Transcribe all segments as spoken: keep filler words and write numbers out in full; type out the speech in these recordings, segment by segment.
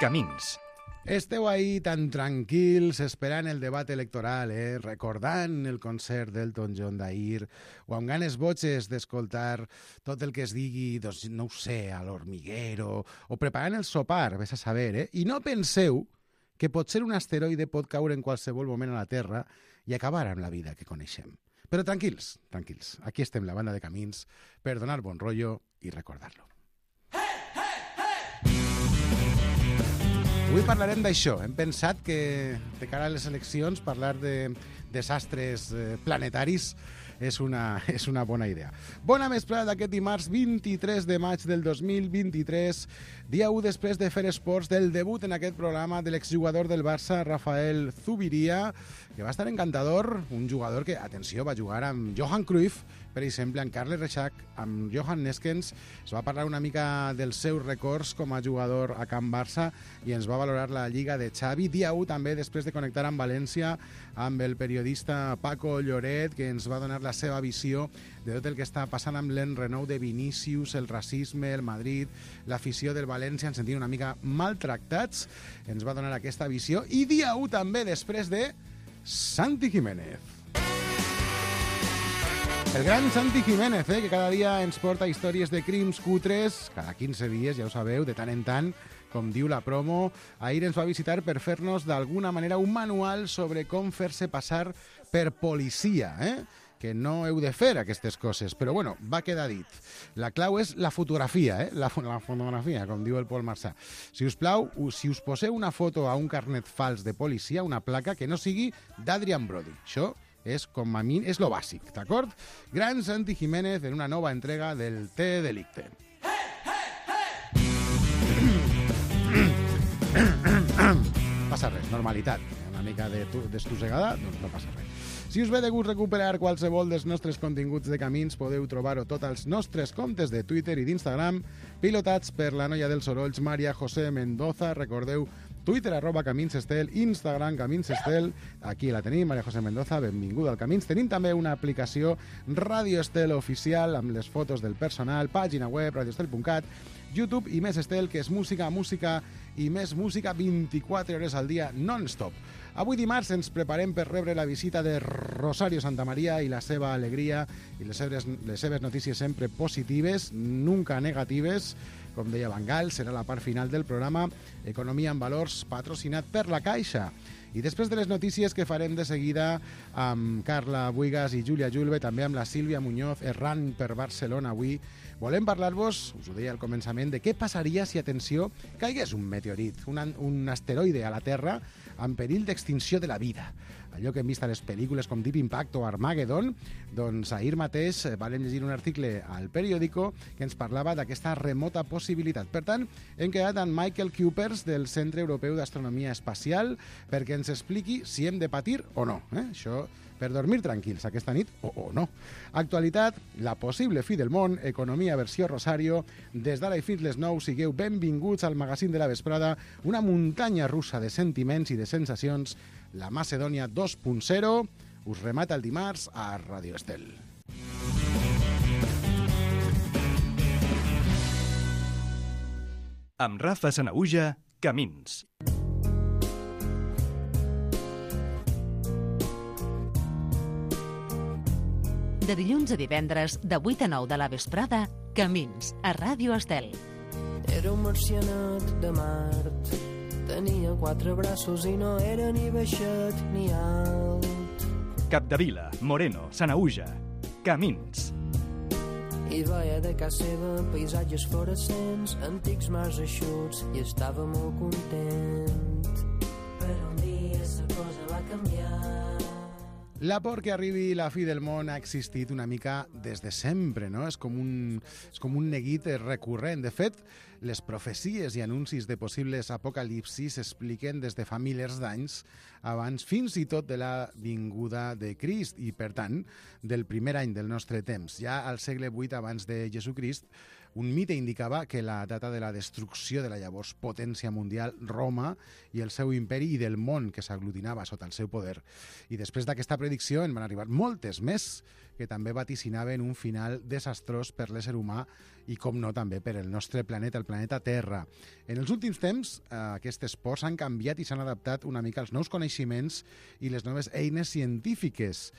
Camins. Esteu ahí tan tranquils esperant el debat electoral, eh? Recordant el concert d'Elton John d'ahir o amb ganes boges d'escoltar tot el que es digui, doncs, no ho sé, a l'Hormiguero o preparant el sopar, vés a saber, eh? I no penseu que potser un asteroide pot caure en qualsevol moment a la Terra i acabar amb la vida que coneixem. Però tranquils, tranquils, aquí estem la banda de Camins per donar bon rotllo i recordar-lo. Avui parlarem d'això. Hem pensat que de cara a les eleccions parlar de desastres eh, planetaris és una, és una bona idea. Bona vesprada d'aquest dimarts vint-i-tres de maig del dos mil vint-i-tres, dia u després de fer esports del debut en aquest programa de l'exjugador del Barça, Rafael Zubiria, que va estar encantador, un jugador que, atenció, va jugar amb Johan Cruyff, per exemple, amb Carles Reixac, amb Johan Neskens. Es va parlar una mica dels seus records com a jugador a Can Barça i ens va valorar la Lliga de Xavi. Dia u també, després de connectar amb València, amb el periodista Paco Lloret, que ens va donar la seva visió de tot el que està passant amb l'enrenou de Vinícius, el racisme, el Madrid, l'afició del València, ens sentim una mica maltractats. Ens va donar aquesta visió. I dia u també, després de Santi Jiménez. El gran Santi Jiménez, eh, que cada dia ens porta històries de crims cutres, cada quinze dies, ja ho sabeu, de tant en tant, com diu la promo. Ahir ens va visitar per fer-nos d'alguna manera un manual sobre com fer-se passar per policia, eh? Que no heu de fer aquestes coses, però bueno, va quedar dit. La clau és la fotografia, eh? La, la fotografia, com diu el Pol Marçà. Si us plau, si us poseu una foto a un carnet fals de policia, una placa que no sigui d'Adrian Brody. Això és com a mi, és lo bàsic, d'acord? Gran Santi Jiménez en una nova entrega del Te Delicte. Passa res, normalitat. Una mica d'estossegada, doncs no passa res. Si us ve de gust recuperar qualsevol dels nostres continguts de Camins, podeu trobar-ho tot als nostres comptes de Twitter i d'Instagram, pilotats per la noia dels sorolls Maria José Mendoza. Recordeu, Twitter, arroba Camins Estel, Instagram, Camins Estel. Aquí la tenim, Maria José Mendoza, benvinguda al Camins. Tenim també una aplicació Radio Estel oficial amb les fotos del personal, pàgina web, radioestel punt cat, YouTube i Més Estel, que és música, música i més música vint-i-quatre hores al dia, non-stop. Avui dimarts ens preparem per rebre la visita de Rosario Santamaría i la seva alegria i les seves, les seves notícies sempre positives, nunca negatives. Com deia Van Gaal, serà la part final del programa Economia en Valors, patrocinat per la Caixa. I després de les notícies que farem de seguida amb Carla Buigas i Júlia Julve, també amb la Sílvia Muñoz, errant per Barcelona avui, volem parlar-vos, us ho deia al començament, de què passaria si, atenció, caigués un meteorit, un, un asteroide a la Terra en perill d'extinció de la vida. Allò que hem vist a les pel·lícules com Deep Impact o Armageddon, doncs ahir mateix vam llegir un article al periòdico que ens parlava d'aquesta remota possibilitat. Per tant, hem quedat amb Michael Cupers del Centre Europeu d'Astronomia Espacial perquè ens expliqui si hem de patir o no. Eh? Això per dormir tranquils aquesta nit o, o no. Actualitat, la possible fi del món, economia versió Rosario. Des d'ara i fins les nou, sigueu benvinguts al magazín de la vesprada, una muntanya russa de sentiments i de sensacions, la Macedònia dos punt zero, us remata el dimarts a Radio Estel. Amb Rafa Sanaüja, Camins. De dilluns a divendres, de vuit a nou de la vesprada, Camins, a Ràdio Estel. Era un marcianat de Mart, tenia quatre braços i no era ni baixet ni alt. Capdevila, Moreno, Sanaüja, Camins. I veia de casa seva paisatges fluorescents, antics mars eixuts, i estava molt content. Però un dia la cosa va canviar. La por que arribi la fi del món ha existit una mica des de sempre, no? És com un, és com un neguit recurrent. De fet, les profecies i anuncis de possibles apocalipsis s'expliquen des de fa milers d'anys abans fins i tot de la vinguda de Crist i, per tant, del primer any del nostre temps. Ja al segle vuit abans de Jesucrist Un mite indicava que la data de la destrucció de la llavors potència mundial Roma i el seu imperi i del món que s'aglutinava sota el seu poder. I després d'aquesta predicció en van arribar moltes més que també vaticinaven un final desastrós per l'ésser humà i, com no, també per el nostre planeta, el planeta Terra. En els últims temps, eh, aquestes pors han canviat i s'han adaptat una mica als nous coneixements i les noves eines científiques.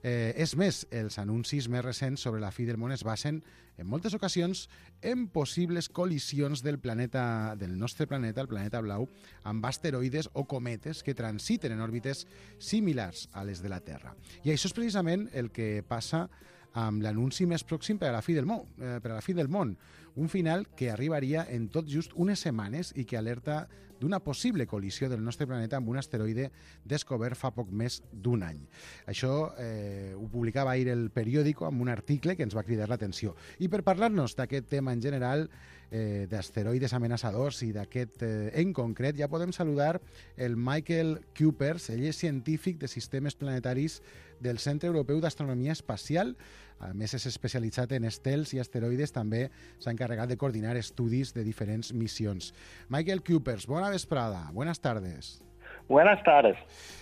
Eh, és més, els anuncis més recents sobre la fi del món es basen, en moltes ocasions, en possibles col·lisions del planeta, del nostre planeta, el planeta blau, amb asteroides o cometes que transiten en òrbites similars a les de la Terra. I això és precisament el que passa amb l'anunci més pròxim per a la fi del món, eh, per a la fi del món, un final que arribaria en tot just unes setmanes i que alerta d'una possible col·lisió del nostre planeta amb un asteroide descobert fa poc més d'un any. Això eh, ho publicava ahir el periòdico amb un article que ens va cridar l'atenció. I per parlar-nos d'aquest tema en general, eh, d'asteroides amenaçadors i d'aquest eh, en concret, ja podem saludar el Michael Kuipers. Ell és científic de sistemes planetaris del Centre Europeu d'Astronomia Espacial. A més, és especialitzat en estels i asteroides. També s'ha encarregat de coordinar estudis de diferents missions. Michael Kuipers, bona vesprada. Buenas tardes. Buenas tardes.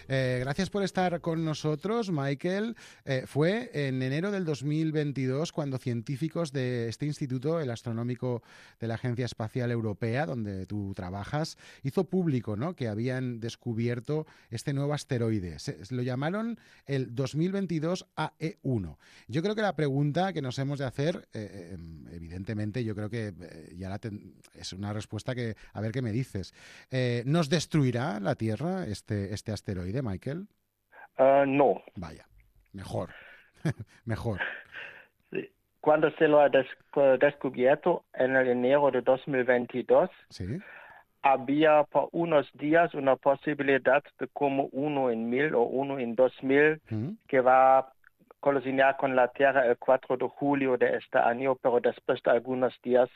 Eh, gracias por estar con nosotros, Michael. Eh, fue en enero del dos mil veintidós cuando científicos de este instituto, el astronómico de la Agencia Espacial Europea, donde tú trabajas, hizo público, ¿no?, que habían descubierto este nuevo asteroide. Se, lo llamaron el dos mil veintidós A E uno. Yo creo que la pregunta que nos hemos de hacer, eh, evidentemente, yo creo que eh, ya la ten, es una respuesta que, a ver qué me dices. Eh, ¿Nos destruirá la Tierra este, este asteroide, Michael? Uh, no. Vaya, mejor, mejor. Sí. Cuando se lo ha des descubierto en el enero de dos mil veintidós, ¿sí?, había por unos días una posibilidad de como uno en mil o uno en dos mil ¿Mm? que va a colisionar con la Tierra el cuatro de julio de este año, pero después de algunos días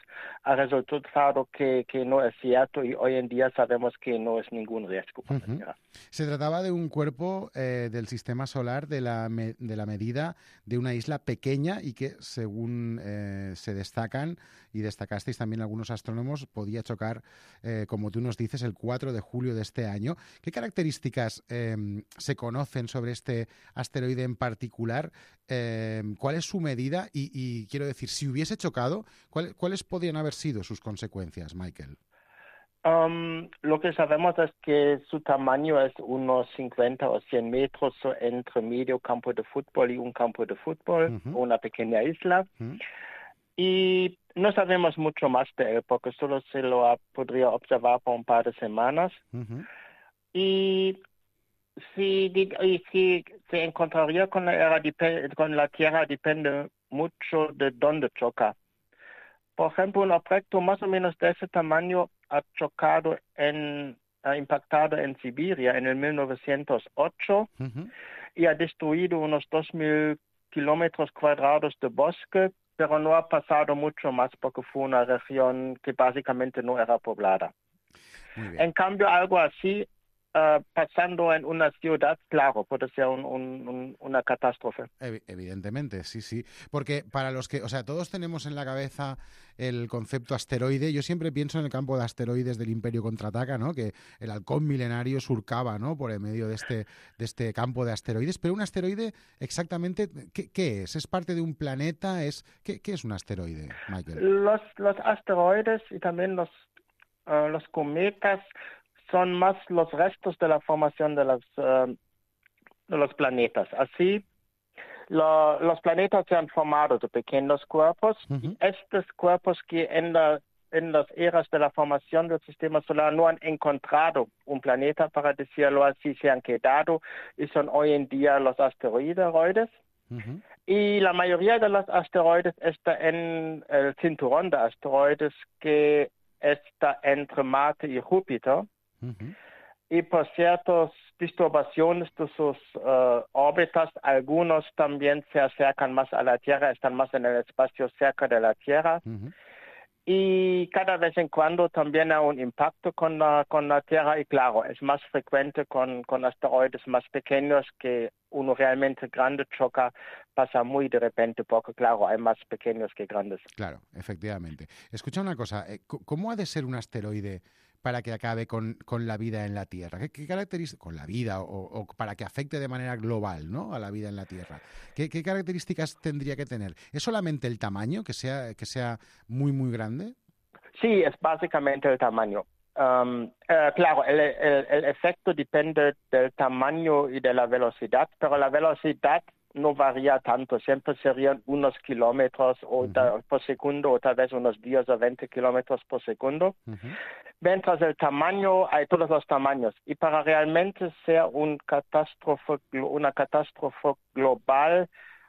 ha resultado que, que no es cierto y hoy en día sabemos que no es ningún riesgo para uh-huh. la Tierra. Se trataba de un cuerpo eh, del sistema solar de la, me de la medida de una isla pequeña y que, según eh, se destacan y destacasteis también algunos astrónomos, podía chocar, eh, como tú nos dices, el cuatro de julio de este año. ¿Qué características eh, se conocen sobre este asteroide en particular? Eh, ¿Cuál es su medida? Y, y quiero decir, si hubiese chocado, ¿cuál, ¿cuáles podrían haber sido sus consecuencias, Michael? Um, lo que sabemos es que su tamaño es unos cincuenta o cien metros entre medio campo de fútbol y un campo de fútbol, uh-huh. una pequeña isla. Uh-huh. Y no sabemos mucho más de él porque solo se lo ha, podría observar por un par de semanas. Uh-huh. Y si, y si se encontraría con la, era, con la Tierra depende mucho de dónde choca. Por ejemplo, un objeto más o menos de ese tamaño ha chocado, en, ha impactado en Siberia en el mil novecientos ocho uh-huh. y ha destruido unos dos mil kilómetros cuadrados de bosque, pero no ha pasado mucho más porque fue una región que básicamente no era poblada. En cambio, algo así, Uh, pasando en una ciudad, claro, puede ser un, un, un, una catástrofe. Evidentemente, sí, sí. Porque para los que, o sea, todos tenemos en la cabeza el concepto asteroide. Yo siempre pienso en el campo de asteroides del Imperio Contraataca, ¿no?, que el halcón milenario surcaba, ¿no?, por el medio de este, de este campo de asteroides. Pero un asteroide, exactamente, ¿qué, qué es? ¿Es parte de un planeta? ¿Es, qué, ¿Qué es un asteroide, Michael? Los, los asteroides y también los, uh, los cometas son más los restos de la formación de los, uh, de los planetas. Así, lo, los planetas se han formado de pequeños cuerpos uh-huh. y estos cuerpos que en, la, en las eras de la formación del sistema solar no han encontrado un planeta, para decirlo así, se han quedado y son hoy en día los asteroides. Uh-huh. Y la mayoría de los asteroides está en el cinturón de asteroides que está entre Marte y Júpiter. Uh-huh. Y por ciertas disturbaciones de sus uh, órbitas, algunos también se acercan más a la Tierra, están más en el espacio cerca de la Tierra. Uh-huh. y cada vez en cuando también hay un impacto con la, con la Tierra y claro, es más frecuente con, con asteroides más pequeños que uno realmente grande choca, pasa muy de repente porque claro, hay más pequeños que grandes. Claro, efectivamente. Escucha una cosa, ¿cómo ha de ser un asteroide para que acabe con, con la vida en la Tierra? ¿Qué, qué características, con la vida o, o para que afecte de manera global, ¿no?, a la vida en la Tierra? ¿Qué, qué características tendría que tener? ¿Es solamente el tamaño, que sea, que sea muy, muy grande? Sí, es básicamente el tamaño. Um, uh, claro, el, el, el efecto depende del tamaño y de la velocidad, pero la velocidad no varía tanto, siempre serían unos kilómetros o uh-huh. ta, por segundo o tal vez unos diez o veinte kilómetros por segundo. Uh-huh. Mientras el tamaño, hay todos los tamaños. Y para realmente ser un catástrofe, una catástrofe global,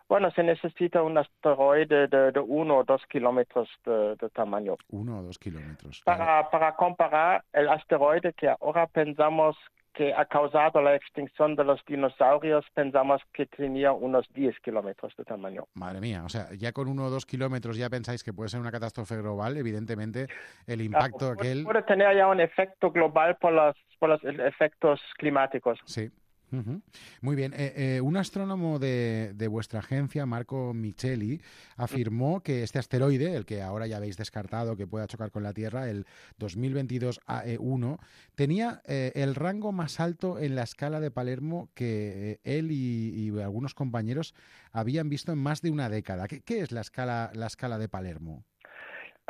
bueno, se necesita un asteroide de, de uno o dos kilómetros de, de tamaño. Uno o dos kilómetros. Para, claro. para comparar, el asteroide que ahora pensamos que ha causado la extinción de los dinosaurios, pensamos que tenía unos diez kilómetros de tamaño. Madre mía, o sea, ya con uno o dos kilómetros ya pensáis que puede ser una catástrofe global, evidentemente el impacto claro, aquel... Puede tener ya un efecto global por los, por los efectos climáticos. Sí. Uh-huh. Muy bien. Eh, eh, un astrónomo de, de vuestra agencia, Marco Micheli, afirmó que este asteroide, el que ahora ya habéis descartado que pueda chocar con la Tierra, el dos mil veintidós A E uno, tenía eh, el rango más alto en la escala de Palermo que eh, él y, y algunos compañeros habían visto en más de una década. ¿Qué, qué es la escala, la escala de Palermo?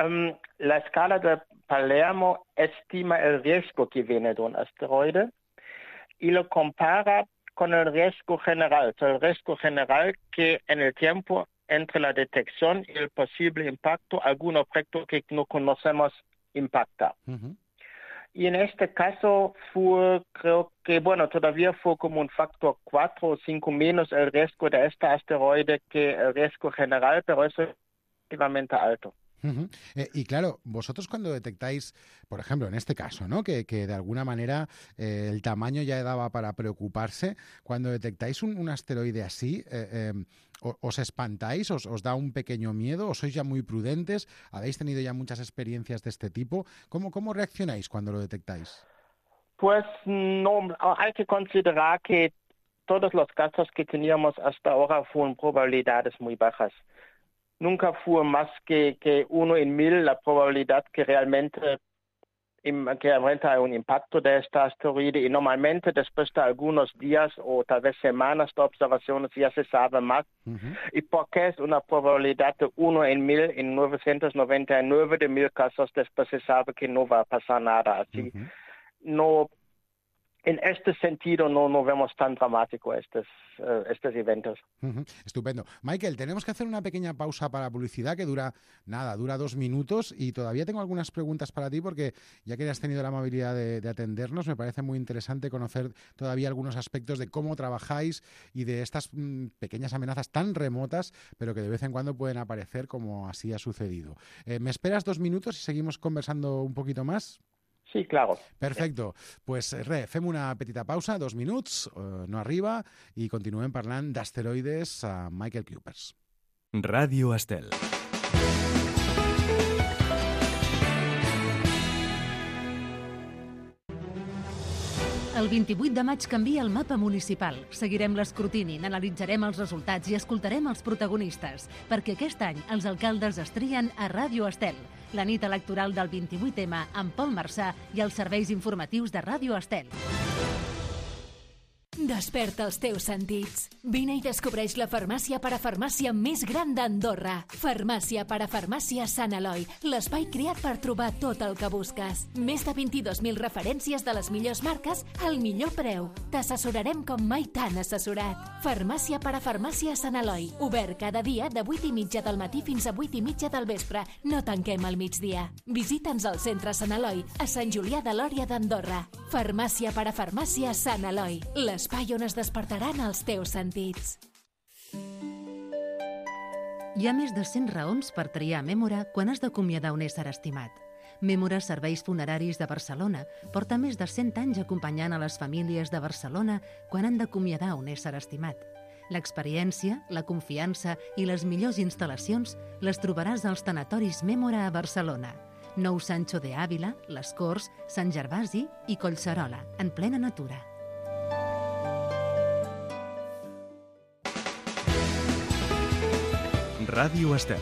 Um, la escala de Palermo estima el riesgo que viene de un asteroide y lo compara con el riesgo general, o sea, el riesgo general que en el tiempo entre la detección y el posible impacto, algún objeto que no conocemos impacta. Uh-huh. Y en este caso fue, creo que, bueno, todavía fue como un factor cuatro o cinco menos el riesgo de este asteroide que el riesgo general, pero eso es relativamente alto. Uh-huh. Eh, y claro, vosotros cuando detectáis, por ejemplo, en este caso, ¿no?, que, que de alguna manera eh, el tamaño ya daba para preocuparse, cuando detectáis un, un asteroide así, eh, eh, ¿os espantáis? Os, ¿Os da un pequeño miedo? ¿O sois ya muy prudentes? ¿Habéis tenido ya muchas experiencias de este tipo? ¿Cómo, cómo reaccionáis cuando lo detectáis? Pues no, hay que considerar que todos los casos que teníamos hasta ahora fueron probabilidades muy bajas. Nunca fue más que, que uno en mil la probabilidad que realmente, que realmente hay un impacto de este asteroide y normalmente después de algunos días o tal vez semanas de observaciones ya se sabe más. Uh-huh. ¿Y por qué es una probabilidad de uno en mil? En novecientos noventa y nueve de mil casos después se sabe que no va a pasar nada así. Uh-huh. No, en este sentido no, no vemos tan dramático estos, uh, estos eventos. Uh-huh. Estupendo. Michael, tenemos que hacer una pequeña pausa para publicidad que dura, nada, dura dos minutos y todavía tengo algunas preguntas para ti porque ya que has tenido la amabilidad de, de atendernos, me parece muy interesante conocer todavía algunos aspectos de cómo trabajáis y de estas mmm, pequeñas amenazas tan remotas, pero que de vez en cuando pueden aparecer como así ha sucedido. Eh, ¿Me esperas dos minutos y seguimos conversando un poquito más? Sí, claro. Perfecto. Pues re, fem una petita pausa, dos minuts, eh, no arriba, i continuem parlant d'asteroides a Michael Cupers. Ràdio Estel. El vint-i-vuit de maig canvia el mapa municipal. Seguirem l'escrutini, n'analitzarem els resultats i escoltarem els protagonistes, perquè aquest any els alcaldes es trien a Ràdio Estel. La nit electoral del vint-i-vuit ema amb Pol Marçà i els serveis informatius de Ràdio Estel. Desperta els teus sentits. Vine i descobreix la farmàcia parafarmàcia més gran d'Andorra. Farmàcia parafarmàcia Sant Eloi, l'espai creat per trobar tot el que busques. Més de vint-i-dos mil referències de les millors marques al millor preu. T'assessorarem com mai t'han assessorat. Farmàcia parafarmàcia Sant Eloi. Obert cada dia de vuit i mitja del matí fins a vuit i mitja del vespre. No tanquem al migdia. Visita'ns al centre Sant Eloi, a Sant Julià de Lòria d'Andorra. Farmàcia parafarmàcia Sant Eloi. Les L'espai on es despertaran els teus sentits. Hi ha més de cent raons per triar Mémora quan has d'acomiadar un ésser estimat. Mémora Serveis Funeraris de Barcelona porta més de cent anys acompanyant a les famílies de Barcelona quan han d'acomiadar un ésser estimat. L'experiència, la confiança i les millors instal·lacions les trobaràs als tanatoris Mémora a Barcelona. Nou Sancho de Ávila, Les Corts, Sant Gervasi i Collserola, en plena natura. Ràdio Estel,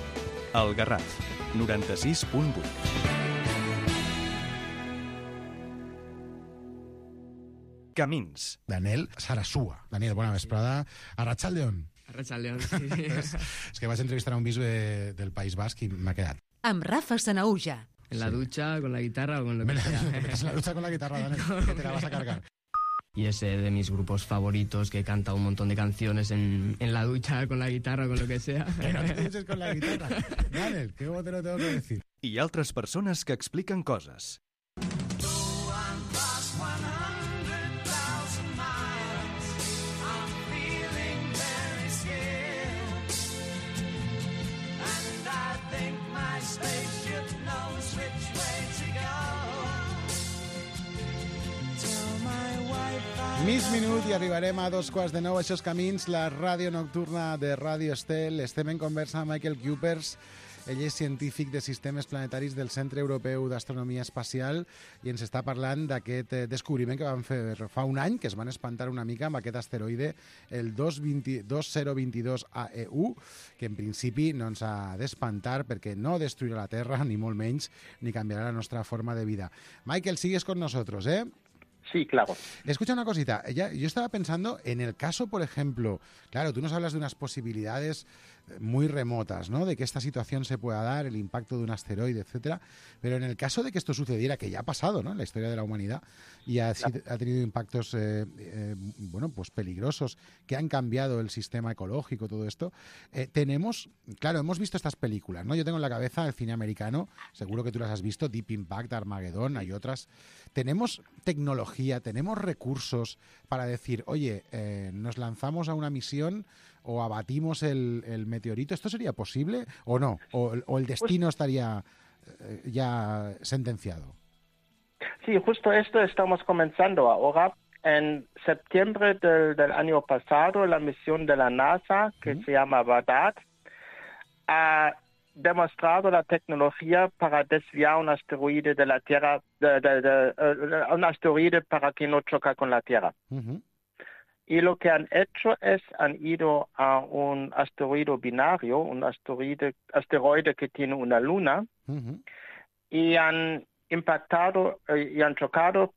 El Garraf, noranta-sis punt vuit. Camins. Daniel Sarasúa. Daniel, bona vesprada. Arratsaldeon. Arratsaldeon, sí. és, és que vaig entrevistar a un bisbe de, del País Basc i m'ha quedat. Amb Rafa Sanauja. En la ducha, con la guitarra o con lo que sea. Me metes en la ducha con la guitarra, Daniel, que te la vas a cargar. Y es eh, de mis grupos favoritos, que canta un montón de canciones en, en la ducha, con la guitarra o con lo que sea. Que no te duches con la guitarra. Daniel, ¿qué te lo tengo que decir? I altres persones que expliquen coses. Mig minut i arribarem a dos quarts de nou. Això és Camins, la ràdio nocturna de Ràdio Estel. Estem en conversa amb Michael Cupers. Ell és científic de sistemes planetaris del Centre Europeu d'Astronomia Espacial i ens està parlant d'aquest descobriment que van fer fa un any, que es van espantar una mica amb aquest asteroide, el dos mil vint dos A E U, que en principi no ens ha d'espantar perquè no destruirà la Terra, ni molt menys, ni canviarà la nostra forma de vida. Michael, sigues con nosotros, ¿eh? Sí, claro. Escucha una cosita. Ya, yo estaba pensando en el caso, por ejemplo, claro, tú nos hablas de unas posibilidades muy remotas, ¿no? De que esta situación se pueda dar, el impacto de un asteroide, etcétera. Pero en el caso de que esto sucediera, que ya ha pasado, ¿no? En la historia de la humanidad y ha, claro. ha tenido impactos, eh, eh, bueno, pues peligrosos que han cambiado el sistema ecológico, todo esto. Eh, tenemos, claro, hemos visto estas películas, ¿no? Yo tengo en la cabeza el cine americano, seguro que tú las has visto, Deep Impact, Armageddon, hay otras. Tenemos tecnología, tenemos recursos para decir, oye, eh, nos lanzamos a una misión o abatimos el, el meteorito. ¿Esto sería posible o no? ¿O, o el destino estaría eh, ya sentenciado? Sí, justo esto estamos comenzando ahora. En septiembre del, del año pasado, la misión de la NASA, que uh-huh. se llama Bagdad, ha demostrado la tecnología para desviar un asteroide de la Tierra, de, de, de, de, un asteroide para que no choque con la Tierra. Uh-huh. Y lo que han hecho es, han ido a un asteroide binario, un asteroide, asteroide que tiene una luna, uh-huh. y han impactado eh, y han chocado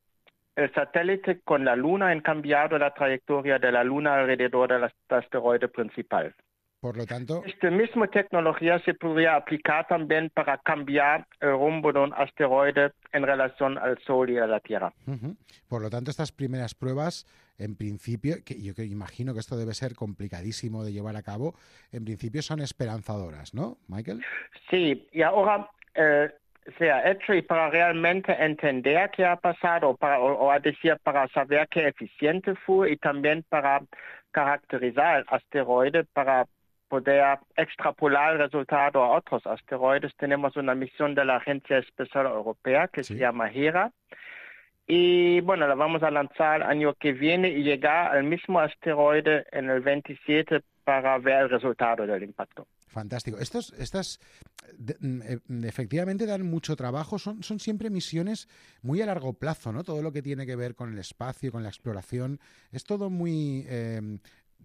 el satélite con la luna, han cambiado la trayectoria de la luna alrededor del asteroide principal. Por lo tanto, esta misma tecnología se podría aplicar también para cambiar el rumbo de un asteroide en relación al Sol y a la Tierra. Uh-huh. Por lo tanto, estas primeras pruebas, en principio, que yo que imagino que esto debe ser complicadísimo de llevar a cabo, en principio son esperanzadoras, ¿no, Michael? Sí, y ahora eh, se ha hecho y para realmente entender qué ha pasado, para, o, o a decir, para saber qué eficiente fue y también para caracterizar el asteroide, para poder extrapolar el resultado a otros asteroides. Tenemos una misión de la Agencia Espacial Europea que sí. se llama HERA. Y bueno, la vamos a lanzar el año que viene y llegar al mismo asteroide en el veintisiete para ver el resultado del impacto. Fantástico. Estos, estas de, de, efectivamente dan mucho trabajo, son, son siempre misiones muy a largo plazo, ¿no? Todo lo que tiene que ver con el espacio, con la exploración, es todo muy... Eh,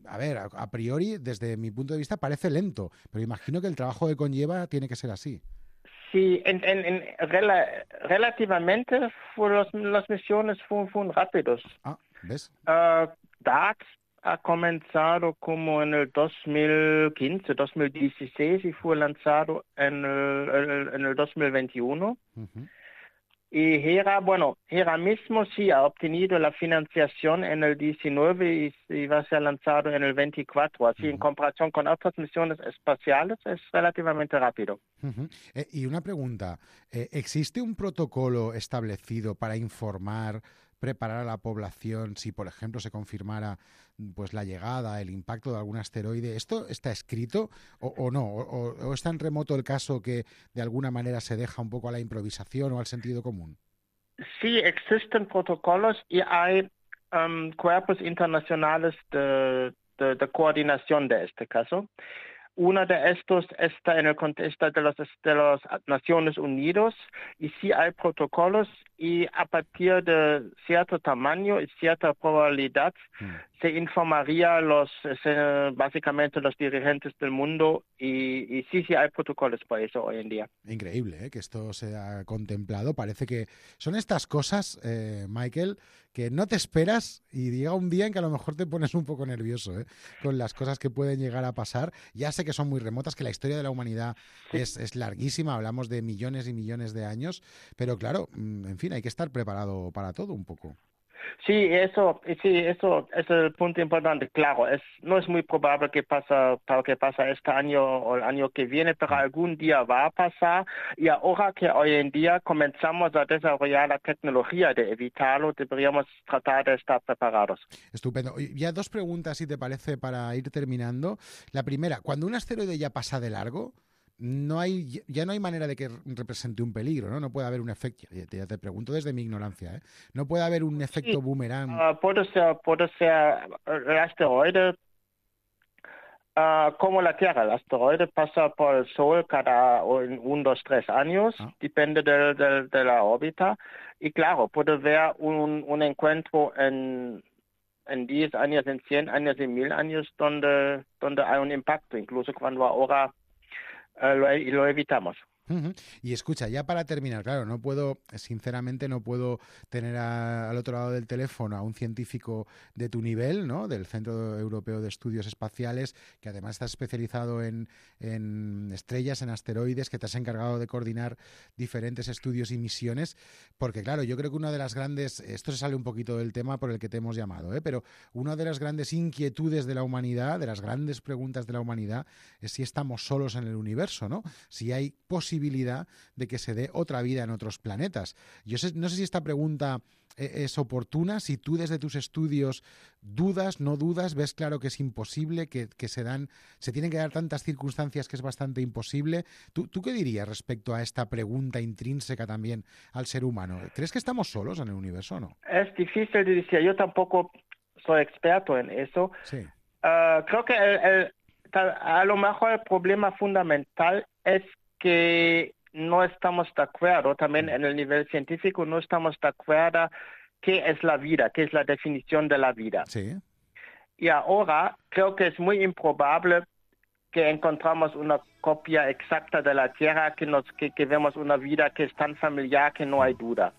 a ver, a, a priori, desde mi punto de vista, parece lento, pero imagino que el trabajo que conlleva tiene que ser así. Sí, en, en, en, rela, relativamente los, las misiones fueron, fueron rápidos. Ah, ¿ves? Uh, DART ha comenzado como en el dos mil quince, dos mil dieciséis y fue lanzado en el, el, en el dos mil veintiuno. Uh-huh. Y HERA, bueno, HERA mismo sí ha obtenido la financiación en el diecinueve y, y va a ser lanzado en el veinticuatro. Así, uh-huh. en comparación con otras misiones espaciales, es relativamente rápido. Uh-huh. Eh, y una pregunta, eh, ¿existe un protocolo establecido para informar, preparar a la población si, por ejemplo, se confirmara pues la llegada, el impacto de algún asteroide? ¿Esto está escrito o, o no? O, ¿O es tan remoto el caso que de alguna manera se deja un poco a la improvisación o al sentido común? Sí, existen protocolos y hay um, cuerpos internacionales de, de, de coordinación de este caso. Uno de estos está en el contexto de las de las Naciones Unidas y sí hay protocolos y a partir de cierto tamaño y cierta probabilidad mm. se informaría los se, básicamente los dirigentes del mundo y, y sí, sí hay protocolos para eso hoy en día. Increíble, ¿eh? Que esto se ha contemplado. Parece que son estas cosas, eh, Michael, que no te esperas y llega un día en que a lo mejor te pones un poco nervioso, ¿eh? Con las cosas que pueden llegar a pasar. Ya sé que son muy remotas, que la historia de la humanidad sí. es, es larguísima, hablamos de millones y millones de años, pero claro, en fin, hay que estar preparado para todo un poco. Sí, eso, sí, eso es el punto importante. Claro, es, no es muy probable que pasa, que pasa este año o el año que viene, pero algún día va a pasar. Y ahora que hoy en día comenzamos a desarrollar la tecnología de evitarlo, deberíamos tratar de estar preparados. Estupendo. Ya dos preguntas, si te parece, para ir terminando. La primera, cuando un asteroide ya pasa de largo, no hay ya no hay manera de que represente un peligro, ¿no? No puede haber un efecto, ya te, ya te pregunto desde mi ignorancia, ¿eh? No puede haber un efecto sí, boomerang. Uh, puede ser, puede ser el asteroide uh, como la Tierra. El asteroide pasa por el Sol cada un, dos, tres años, ah. depende de, de, de la órbita. Y claro, puede haber un, un encuentro en en diez años, en cien años, en mil años, donde, donde hay un impacto, incluso cuando ahora Uh, lo, lo evitamos. Uh-huh. Y escucha, ya para terminar, claro, no puedo, sinceramente no puedo tener a, al otro lado del teléfono a un científico de tu nivel, ¿no? Del Centro Europeo de Estudios Espaciales, que además está especializado en, en estrellas, en asteroides, que te has encargado de coordinar diferentes estudios y misiones, porque claro, yo creo que una de las grandes, esto se sale un poquito del tema por el que te hemos llamado, ¿eh? Pero una de las grandes inquietudes de la humanidad, de las grandes preguntas de la humanidad, es si estamos solos en el universo, ¿no? Si hay posibilidad posibilidad de que se dé otra vida en otros planetas. Yo sé, no sé si esta pregunta es oportuna, si tú desde tus estudios dudas, no dudas, ves claro que es imposible, que, que se dan, se tienen que dar tantas circunstancias que es bastante imposible. ¿Tú, ¿Tú qué dirías respecto a esta pregunta intrínseca también al ser humano? ¿Crees que estamos solos en el universo o no? Es difícil de decir, yo tampoco soy experto en eso. Sí. Uh, creo que el, el, a lo mejor el problema fundamental es que no estamos de acuerdo, también en el nivel científico, no estamos de acuerdo qué es la vida, qué es la definición de la vida. Sí. Y ahora creo que es muy improbable que encontramos una copia exacta de la Tierra, que, nos, que, que vemos una vida que es tan familiar que no hay duda.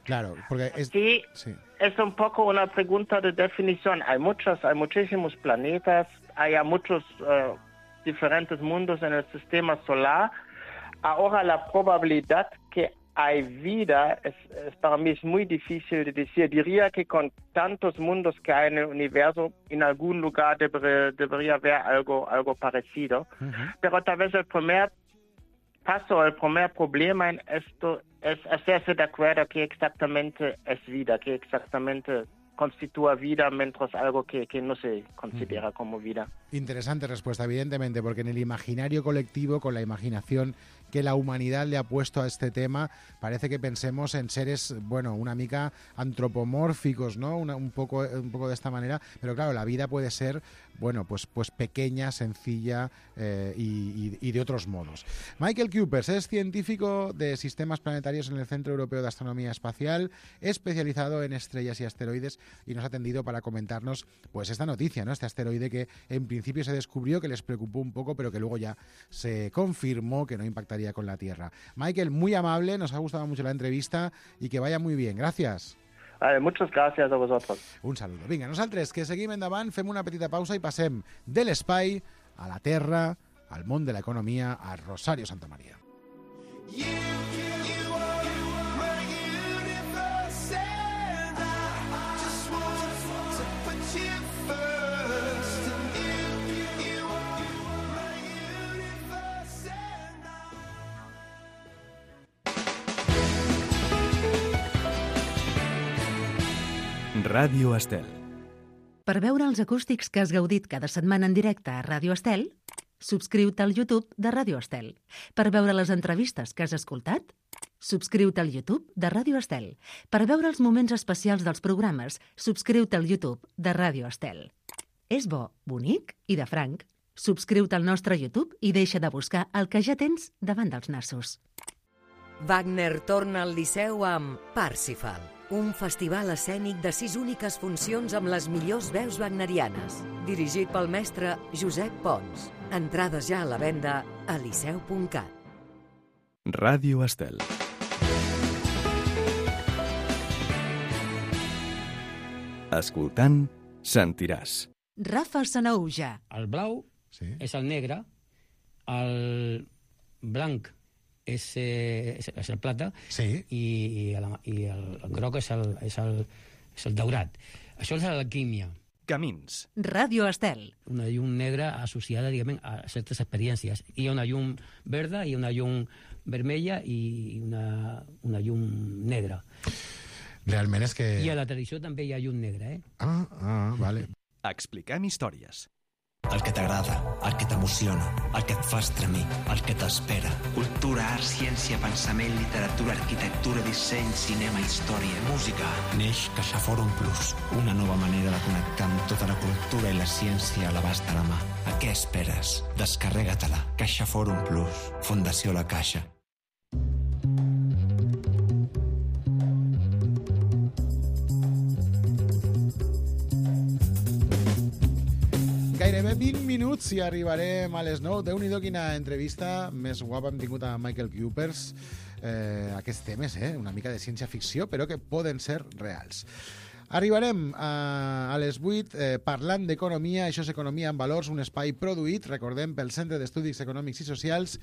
Claro, porque es... Sí, sí, es un poco una pregunta de definición. Hay muchos, hay muchísimos planetas, hay muchos uh, diferentes mundos en el sistema solar. Ahora la probabilidad que hay vida es, es para mí es muy difícil de decir. Diría que con tantos mundos que hay en el universo, en algún lugar debería, debería haber algo, algo parecido. Uh-huh. Pero tal vez el primer paso, el primer problema en esto es hacerse de acuerdo que exactamente es vida, que exactamente constitúa vida, mientras algo que, que no se considera uh-huh. como vida. Interesante respuesta, evidentemente, porque en el imaginario colectivo, con la imaginación que la humanidad le ha puesto a este tema, parece que pensemos en seres, bueno, una mica antropomórficos, ¿no? Una, un poco, un poco de esta manera, pero claro, la vida puede ser, bueno, pues, pues pequeña, sencilla eh, y, y, y de otros modos. Michael Cupers es científico de sistemas planetarios en el Centro Europeo de Astronomía Espacial, especializado en estrellas y asteroides, y nos ha atendido para comentarnos, pues, esta noticia, ¿no? Este asteroide que en principio se descubrió, que les preocupó un poco, pero que luego ya se confirmó que no impactaría con la Tierra. Michael, muy amable, nos ha gustado mucho la entrevista y que vaya muy bien. Gracias. Vale, muchas gràcies a vosaltres. Un saludo. Vinga, nosaltres que seguim endavant, fem una petita pausa i passem de l'espai a la Terra, al món de l'economia, a Rosario Santamaría. Ràdio Estel. Per veure els acústics que has gaudit cada setmana en directe a Ràdio Estel, subscriu-te al YouTube de Ràdio Estel. Per veure les entrevistes que has escoltat, subscriu-te al YouTube de Ràdio Estel. Per veure els moments especials dels programes, subscriu-te al YouTube de Ràdio Estel. És bo, bonic i de franc. Subscriu-te al nostre YouTube i deixa de buscar el que ja tens davant dels nassos. Wagner torna al Liceu amb Parsifal, un festival escènic de sis úniques funcions amb les millors veus wagnerianes, dirigit pel mestre Josep Pons. Entrades ja a la venda a liceu punt cat. Ràdio Estel. Escoltant, sentiràs. Rafa Sanauja. El blau sí. és el negre, el blanc és, eh, és, és el plata sí. i, i, el, i el, el groc és el, és, el, és el daurat. Això és l'alquímia. Camins. Ràdio Estel. Una llum negra associada, diguem, a certes experiències. Hi ha una llum verda i una llum vermella i una, una llum negra. Realment és que... I a la tradició també hi ha llum negra, eh? Ah, ah, vale. Expliquem històries. El que t'agrada, el que t'emociona, el que et fa estremir, el que t'espera. Cultura, art, ciència, pensament, literatura, arquitectura, disseny, cinema, història, música. Neix CaixaForum Plus, una nova manera de connectar amb tota la cultura i la ciència a l'abast de la mà. A què esperes? Descarrega-te-la. CaixaForum Plus, Fundació La Caixa. Gairebé vint minuts i arribarem a les nou. Déu-n'hi-do quina entrevista més guapa hem tingut a Michael Cupers. Eh, aquests temes, eh? Una mica de ciència-ficció, però que poden ser reals. Arribarem a, a les vuit eh, parlant d'economia. Això és Economia en Valors, un espai produït, recordem, pel Centre d'Estudis Econòmics i Socials.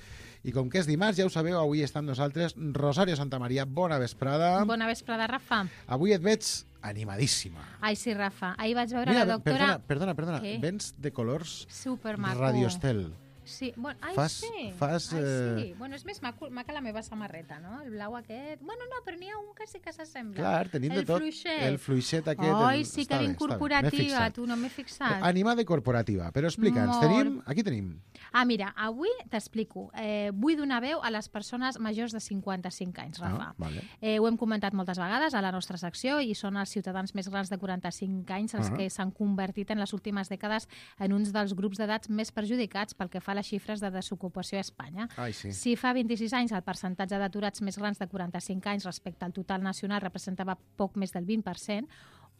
I com que és dimarts, ja ho sabeu, avui està amb nosaltres Rosario Santamaría. Bona vesprada. Bona vesprada, Rafa. Avui et veig animadíssima. Ai, sí, Rafa. Ahir vaig veure Mira, la doctora... Perdona, perdona, perdona. Què? Vens de colors Supermaco. Radio Estel. Sí, bueno, ai, fas, sí. Fas, ai, eh... sí. Bueno, és més maco, maca la meva samarreta, no? El blau aquest... Bueno, no, però n'hi ha un que sí que s'assembla. Clar, tenim de el tot. Fluixet. El fluixet aquest... Ai, el... sí que ben corporativa, tu no m'he fixat. Animada i corporativa, però explica'ns, tenim... Aquí tenim... Ah, mira, avui t'explico. Eh, vull donar veu a les persones majors de cinquanta-cinc anys, Rafa. Ah, vale. eh, ho hem comentat moltes vegades a la nostra secció i són els ciutadans més grans de quaranta-cinc anys els ah. que s'han convertit en les últimes dècades en uns dels grups d'edats més perjudicats pel que fa a les xifres de desocupació a Espanya. Ai, sí. Si fa vint-i-sis anys el percentatge d'aturats més grans de quaranta-cinc anys respecte al total nacional representava poc més del vint per cent,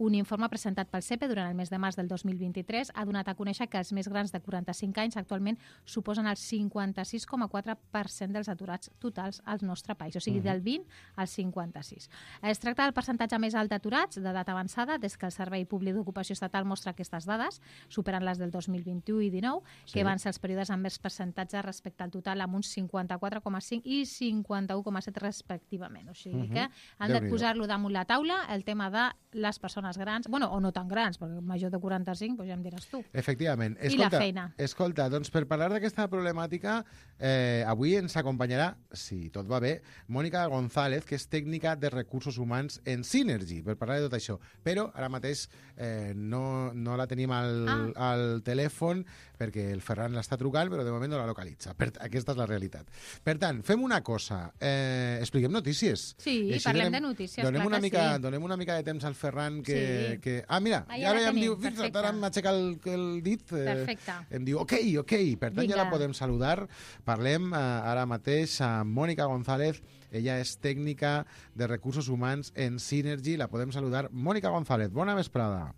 un informe presentat pel C E P E durant el mes de març del dos mil vint-i-tres ha donat a conèixer que els més grans de quaranta-cinc anys actualment suposen el cinquanta-sis coma quatre per cent dels aturats totals al nostre país, o sigui, uh-huh. del vint al cinquanta-sis. Es tracta del percentatge més alt d'aturats d'edat avançada des que el Servei Públic d'Ocupació Estatal mostra aquestes dades, superant les del dos mil vint-i-u i dinou, sí. que van ser els períodes amb més percentatge respecte al total, amb uns cinquanta-quatre coma cinc i cinquanta-u coma set respectivament. O sigui uh-huh. que han de posar-lo damunt la taula, el tema de les persones grans, bueno, o no tan grans, perquè major de quaranta-cinc, doncs ja em diràs tu. Efectivament. I escolta, la feina. Escolta, doncs per parlar d'aquesta problemàtica, eh, avui ens acompanyarà, si tot va bé, Mònica González, que és tècnica de recursos humans en Synergy, per parlar de tot això. Però ara mateix eh, no, no la tenim al, ah. al telèfon, perquè el Ferran l'està trucant, però de moment no la localitza. Per, aquesta és la realitat. Per tant, fem una cosa. Eh, expliquem notícies. Sí, parlem donem, de notícies, donem clar una que mica, sí. Donem una mica de temps al Ferran que... Sí. que... Ah, mira, ah, ja ara ja em diu... Fixa't, ara m'aixeca el, el dit. Eh, Perfecte. Em diu, ok, ok. Per tant, Vinga. Ja la podem saludar. Parlem eh, ara mateix amb Mònica González. Ella és tècnica de recursos humans en Synergy. La podem saludar. Mònica González, bona vesprada.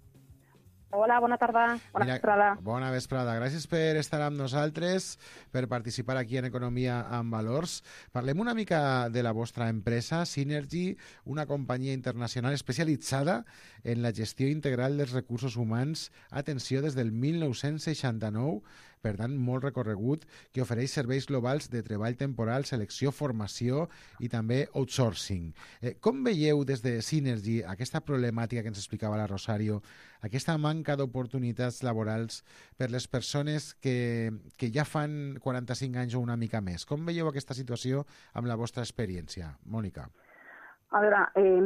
Hola, bona tarda. Bona Mira, vesprada. Bona vesprada. Gràcies per estar amb nosaltres, per participar aquí en Economia amb Valors. Parlem una mica de la vostra empresa, Synergy, una companyia internacional especialitzada en la gestió integral dels recursos humans. Atenció, des del mil nou-cents seixanta-nou, per tant, molt recorregut, que ofereix serveis globals de treball temporal, selecció, formació i també outsourcing. Eh, com veieu des de Synergy aquesta problemàtica que ens explicava la Rosario, aquesta manca d'oportunitats laborals per les persones que, que ja fan quaranta-cinc anys o una mica més? Com veieu aquesta situació amb la vostra experiència? Mònica. A veure, eh,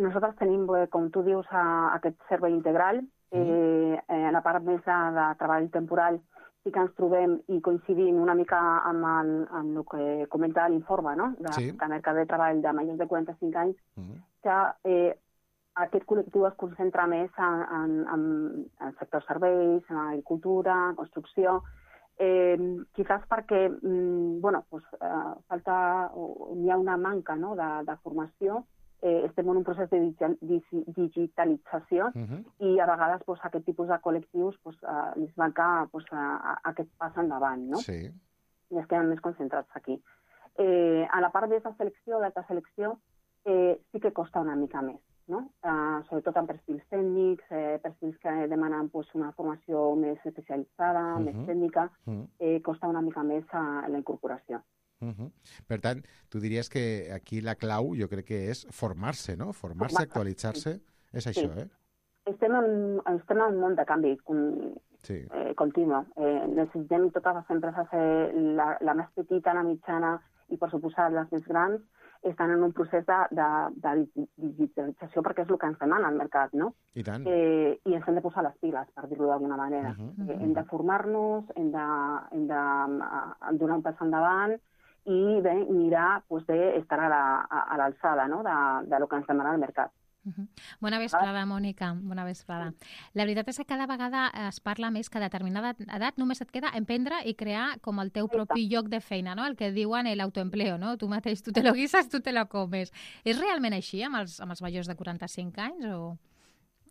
nosaltres tenim, com tu dius, a, aquest servei integral. Eh, eh, la part més de, de treball temporal sí que ens trobem i coincidim una mica amb el, amb el que comenta l'informe, no? De, sí. de mercat de treball de majors de quaranta-cinc anys, uh-huh. que eh, aquest col·lectiu es concentra més en, en, en, en sector serveis, en agricultura, en construcció, eh, quizás perquè mm, bueno, pues, eh, falta, o, hi ha una manca, no?, de, de formació. Eh, estem en un procés de digitalització uh-huh. i a vegades pues, aquest tipus de col·lectius pues, uh, els manca pues, uh, aquest pas endavant, no? Sí. I es queden més concentrats aquí. Eh, a la part de la selecció, d'alta selecció, eh, sí que costa una mica més, no? Uh, sobretot en perfils tècnics, eh, perfils que demanen pues, una formació més especialitzada, uh-huh. més tècnica, uh-huh. eh, costa una mica més a, a la incorporació. Uh-huh. Per tant, tu diries que aquí la clau jo crec que és formar-se, no? Formar-se, actualitzar-se, sí. És això, sí. eh? Estem en, estem en un món de canvi con, sí. eh, continu. Eh, necessitem totes les empreses, eh, la, la més petita, la mitjana i, per suposat, les més grans, estan en un procés de, de, de digitalització perquè és el que ens demana el mercat, no? I tant. Eh, I ens hem de posar les piles, per dir-ho d'alguna manera. Uh-huh. Eh, hem de formar-nos, hem de, hem de uh, donar un pas endavant i bé, mirar pues, d'estar a l'alçada, no?, de, de lo que ens demana el mercat. Uh-huh. Bona vesprada, Mònica. Bona vesprada. La veritat és que cada vegada es parla més que a determinada edat només et queda emprendre i crear com el teu propi lloc de feina, no? El que diuen l'autoempleo, no? Tu mateix, tu te lo guises, tu te lo comes. És realment així amb els, amb els majors de quaranta-cinc anys o,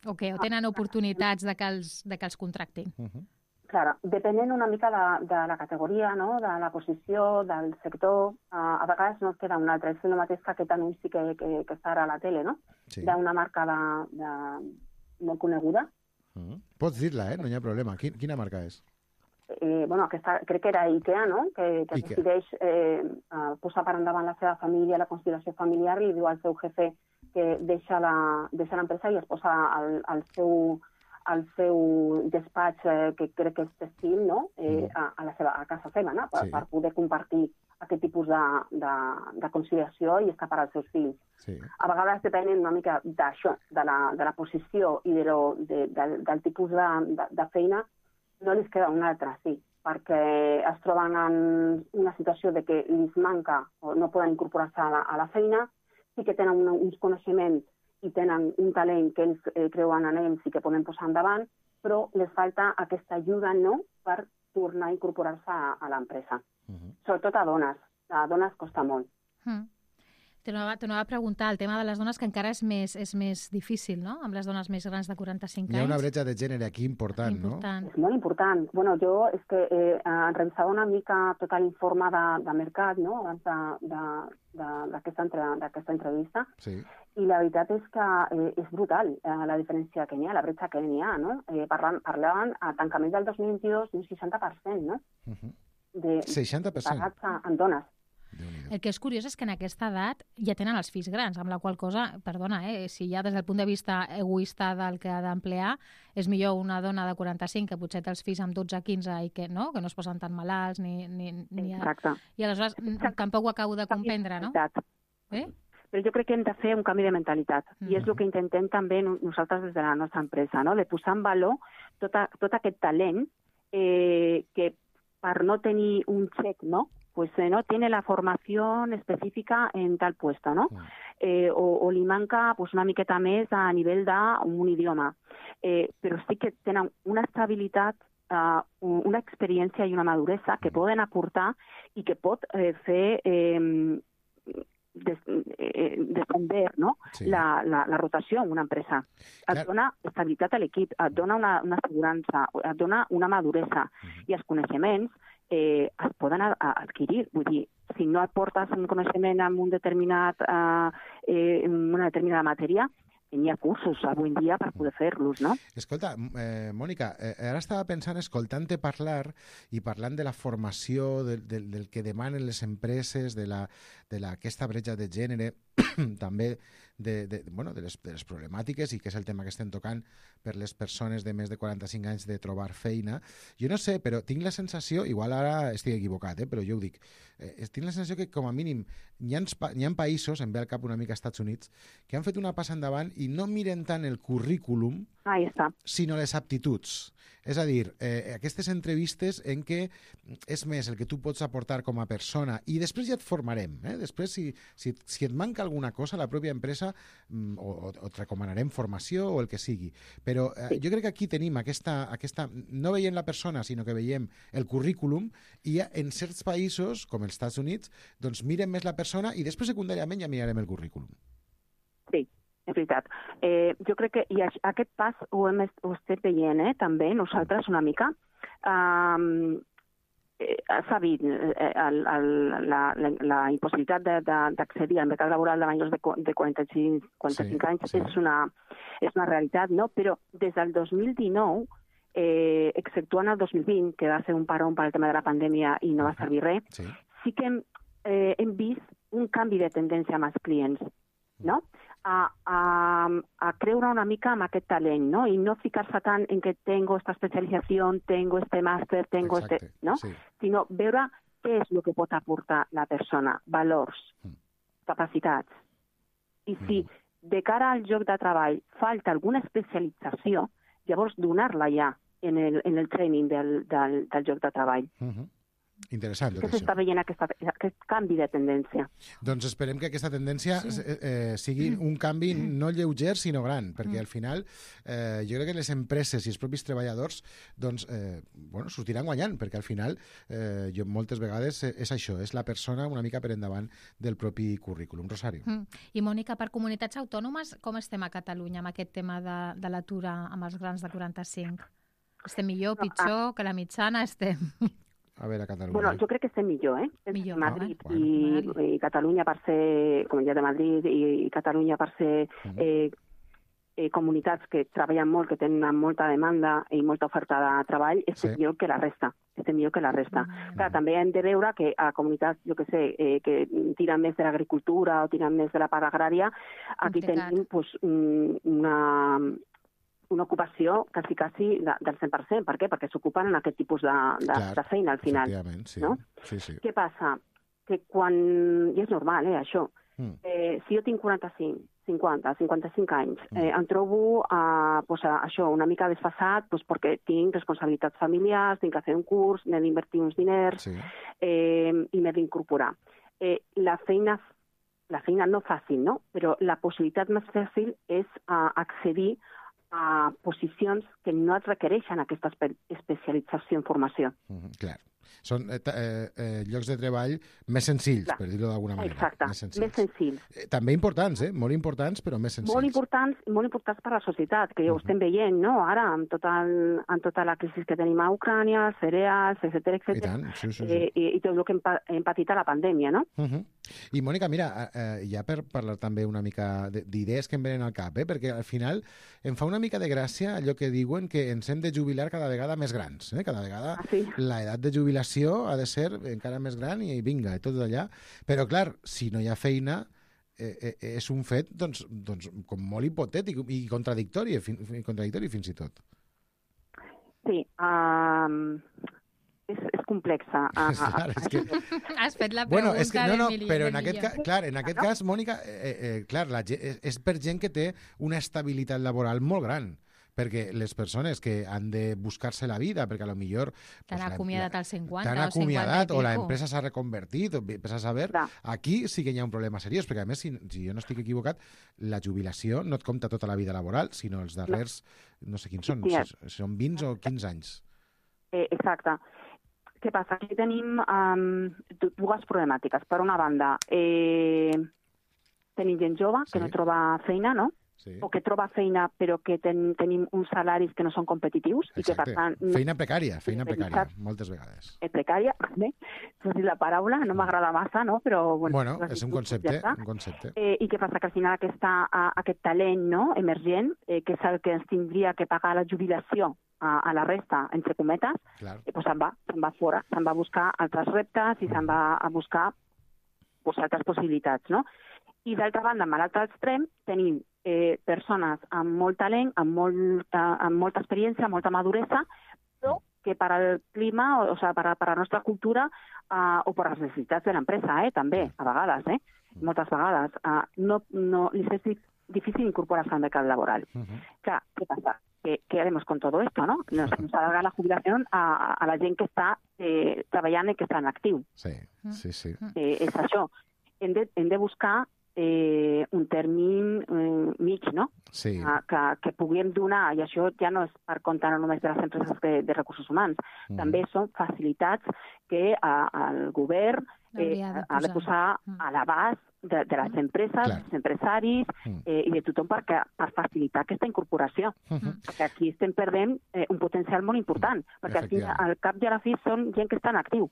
o què? O tenen oportunitats de que els, de que els contractin? Uh-huh. Clar, depenent una mica de, de la categoria, no?, de la posició, del sector, uh, a vegades no et queda un altre. És el mateix que aquest anunci que, que, que està ara a la tele, no?, sí. D'una marca de, de, molt coneguda. Uh-huh. Pots dir-la, eh? No hi ha problema. Quina, quina marca és? Eh, bueno, aquesta, crec que era IKEA, no?, que, que Ikea. decideix eh, uh, posar per endavant la seva família, la conciliació familiar, i diu al seu jefe que deixa l'empresa i es posa al, al seu... al seu despatx, eh, que crec que és textil, no?, eh, a, a, la seva, a casa seva, no?, per, sí. per poder compartir aquest tipus de, de, de conciliació i estar per als seus fills. Sí. A vegades depenen una mica d'això, de, la, de la posició i de lo, de, de, del tipus de, de, de feina, no els queda una altra, sí, perquè es troben en una situació de que els manca o no poden incorporar-se a, la, a la feina, sí que tenen una, uns coneixements i tenen un talent que ells eh, creuen en ells i que poden posar endavant, però les falta aquesta ajuda, no?, per tornar a incorporar-se a, a l'empresa. Uh-huh. Sobretot a dones. A dones costa molt. Uh-huh. T'anava a preguntar, el tema de les dones, que encara és més, és més difícil, no?, amb les dones més grans de quaranta-cinc anys. Hi ha una bretxa de gènere aquí important, important. no? És molt important. Bueno, jo és que eh, revisava una mica tot l'informe de, de mercat, no?, abans d'aquesta entre, entrevista, sí. I la veritat és que eh, és brutal eh, la diferència que n'hi ha, la bretxa que n'hi ha, no? Eh, parlant, parlaven a tancament del dos mil vint-i-dos d'un seixanta per cent, no? Uh-huh. De, seixanta per cent? Pagats en dones. El que és curiós és que en aquesta edat ja tenen els fills grans, amb la qual cosa, perdona, eh, si ja des del punt de vista egoista del que ha d'emplear, és millor una dona de quaranta-cinc que potser té els fills amb dotze quinze i que no, que no es posen tan malalts ni... ni, ni Exacte. I aleshores Exacte. Tampoc ho acabo de comprendre, no? Eh? Però jo crec que hem de fer un canvi de mentalitat, mm. i és el que intentem també nosaltres des de la nostra empresa, no?, de posar en valor tot, a, tot aquest talent eh, que per no tenir un xec, no?, pues eh, no tiene la formación específica en tal puesto, ¿no? Eh, o, o li manca pues, una miqueta més a nivell d'un idioma. Eh, però sí que tenen una estabilitat, uh, una experiència i una maduresa que poden aportar i que pot eh, fer eh, des, eh, descender, no? Sí. la, la, la rotació en una empresa. Et Clar. dona estabilitat a l'equip, et dona una, una assegurança, et dona una maduresa uh-huh. i els coneixements Eh, es poden a, a adquirir. Vull dir, si no aportes un coneixement en un determinat, eh, eh, en una determinada matèria, hi ha cursos avui en dia per poder fer-los, no? Escolta, eh, Mònica, eh, ara estava pensant, escoltant-te parlar i parlant de la formació, de, de, del que demanen les empreses, de, la, de la, aquesta bretxa de gènere, també de, de, bueno, de, les, de les problemàtiques, i que és el tema que estem tocant per les persones de més de quaranta-cinc anys de trobar feina. Jo no sé, però tinc la sensació, igual ara estic equivocat, eh, però jo ho dic, eh, tinc la sensació que com a mínim hi ha, hi ha països, em ve al cap una mica als Estats Units, que han fet una passa endavant i no miren tant el currículum, Ahí està. sinó les aptituds. És a dir, eh, aquestes entrevistes en què és més el que tu pots aportar com a persona i després ja et formarem. Eh? Després, si, si, si et manca alguna cosa, la pròpia empresa mm, o, o, o et recomanarem formació o el que sigui. Però eh, sí. jo crec que aquí tenim aquesta, aquesta... No veiem la persona, sinó que veiem el currículum i en certs països, com els Estats Units, doncs miren més la persona i després secundàriament ja mirarem el currículum. Sí. És veritat. Eh, jo crec que i aquest pas ho hem ho estem veient, eh, també, nosaltres una mica. Um, eh, S'ha vist eh, el, el, la, la, la impossibilitat d'accedir al mercat laboral de majors de, de quaranta-cinc, quaranta-cinc sí, anys sí. És, una, és una realitat, no? Però des del dos mil dinou, eh, exceptuant el dos mil vint, que va ser un parón per al tema de la pandèmia i no va servir res, sí, sí que hem, eh, hem vist un canvi de tendència amb els clients, no? A, a, a creure una mica amb aquest talent, no? I no ficar-se tant en que tengo esta especialització, tengo este màster, tengo Exacte, este... no? Sí. Sinó veure què és el que pot aportar la persona, valors, mm. capacitats. I si mm. de cara al lloc de treball falta alguna especialització, llavors donar-la ja en el, en el training del, del, del lloc de treball. Mm-hmm. Interessant, que s'està veient aquesta, aquest canvi de tendència. Doncs esperem que aquesta tendència sí. eh, sigui un canvi no lleuger, sinó gran, perquè al final eh, jo crec que les empreses i els propis treballadors doncs, eh, bueno, sortiran guanyant, perquè al final eh, jo moltes vegades és això, és la persona una mica per endavant del propi currículum. Rosario. Mm. I Mònica, per comunitats autònomes, com estem a Catalunya amb aquest tema de, de l'atur amb els grans de quaranta-cinc? Estem millor, pitjor, que la mitjana estem... A veure, a Catalunya. Bueno, jo crec que estem millor, eh? Millor, Madrid no? i, i Catalunya per ser, Comunitat de Madrid i, i Catalunya per ser uh-huh. eh, eh, comunitats que treballen molt, que tenen molta demanda i molta oferta de treball, estem sí. millor que la resta. Estem millor que la resta. Uh-huh. Clar, també hem de veure que a comunitats, jo que sé, eh, que tiren més de l'agricultura o tiren més de la part agrària, aquí Complicat. tenim pues, una... una ocupació quasi, quasi de, del cent per cent. Per què? Perquè s'ocupen en aquest tipus de, de, Clar, de feina, al final. Sí. No? Sí, sí. Què passa? Que quan... I és normal, eh, això. Mm. Eh, si jo tinc quaranta-cinc, cinquanta, cinquanta-cinc anys, mm. eh, em trobo a, pues, a, això, una mica desfasat pues, perquè tinc responsabilitats familiars, tinc que fer un curs, m'he d'invertir uns diners sí. eh, i m'he d'incorporar. Eh, la feina la feina no fàcil, no? Però la possibilitat més fàcil és uh, accedir a posicions que no et requereixen aquesta espe especialització en formació. Mm, clar. Són eh, eh, llocs de treball més senzills, clar. per dir-ho d'alguna manera. Exacte, més senzills. Més senzills. Eh, també importants, eh? Molt importants, però més senzills. Molt importants, molt importants per a la societat, que ja ho estem veient, no? Ara, amb tota, el, amb tota la crisi que tenim a Ucrània, cereals, etcètera, etcètera. I tant, sí, sí, sí. Eh, i, i tot el que hem, hem patit a la pandèmia, no? Uh -huh. I, Mònica, mira, eh, ja per parlar també una mica d'idees que em venen al cap, eh? Perquè al final em fa una mica de gràcia allò que diuen que ens hem de jubilar cada vegada més grans, eh? Cada vegada ah, sí. l'edat de jubilació ha de ser encara més gran i vinga, i tot allà. Però, clar, si no hi ha feina, eh, eh, és un fet doncs, doncs, com molt hipotètic i contradictori, fin, contradictori fins i tot. Sí, um, és, és complexa. Uh, clar, és que... Has fet la pregunta bueno, és que, no, no, de però en aquest cas, clar, en aquest cas, Mònica, eh, eh, clar, la, és, és per gent que té una estabilitat laboral molt gran, perquè les persones que han de buscar-se la vida, perquè a lo millor... T'han pues, acomiadat als cinquanta o acomiadat, o l'empresa s'ha reconvertit, o vés a saber, Clar. aquí sí que hi ha un problema seriós, perquè a més, si, si jo no estic equivocat, la jubilació no et compta tota la vida laboral, sinó els darrers, no sé quins són, sí, si són vint o quinze anys. Eh, exacte. Què passa? Aquí tenim um, dues problemàtiques. Per una banda, eh, tenim gent jove que sí. no troba feina, no? Sí. O que troba feina però que ten, tenim uns salaris que no són competitius. Exacte. I que, per tant, feina precària, feina precària, moltes vegades. Eh, precària, bé, no sé la paraula, no m'agrada massa, no? Però, bueno, bueno és un concepte. Ja un concepte. Eh, I què passa? Que al final aquesta, aquest talent no, emergent, eh, que és el que ens tindria que pagar la jubilació a, a la resta, entre cometes, eh, pues se'n va, se'n va fora, se'n va a buscar altres reptes i se'n va a buscar pues, altres possibilitats, no? I d'altra banda, amb l'altre extrem, tenim eh, persones amb molt talent, amb, molt, eh, amb molta experiència, molta maduresa, però que per al clima, o, o sigui, per, a, per a la nostra cultura eh, o per les necessitats de l'empresa, eh, també, a vegades, eh, moltes vegades, eh, no, no, li és difícil incorporar-se al mercat laboral. Uh -huh. Clar, què passa? ¿qué, qué haremos con todo esto, no? Nos, nos alarga la jubilación a, a la gent que està eh, treballant i que està en actiu. Sí, sí, sí. Eh, és això. Hem de, hem de buscar eh, un termini eh, mig, no? Sí. Uh, que, que puguem donar, i això ja no és per compte no només de les empreses de, de recursos humans, mm. també són facilitats que uh, el govern eh, de ha de posar mm. a l'abast de, de les empreses, Clar. dels empresaris mm. eh, i de tothom per, per facilitar aquesta incorporació. Mm-hmm. Perquè aquí estem perdent eh, un potencial molt important, perquè aquí al cap i a la fi són gent que està en actiu.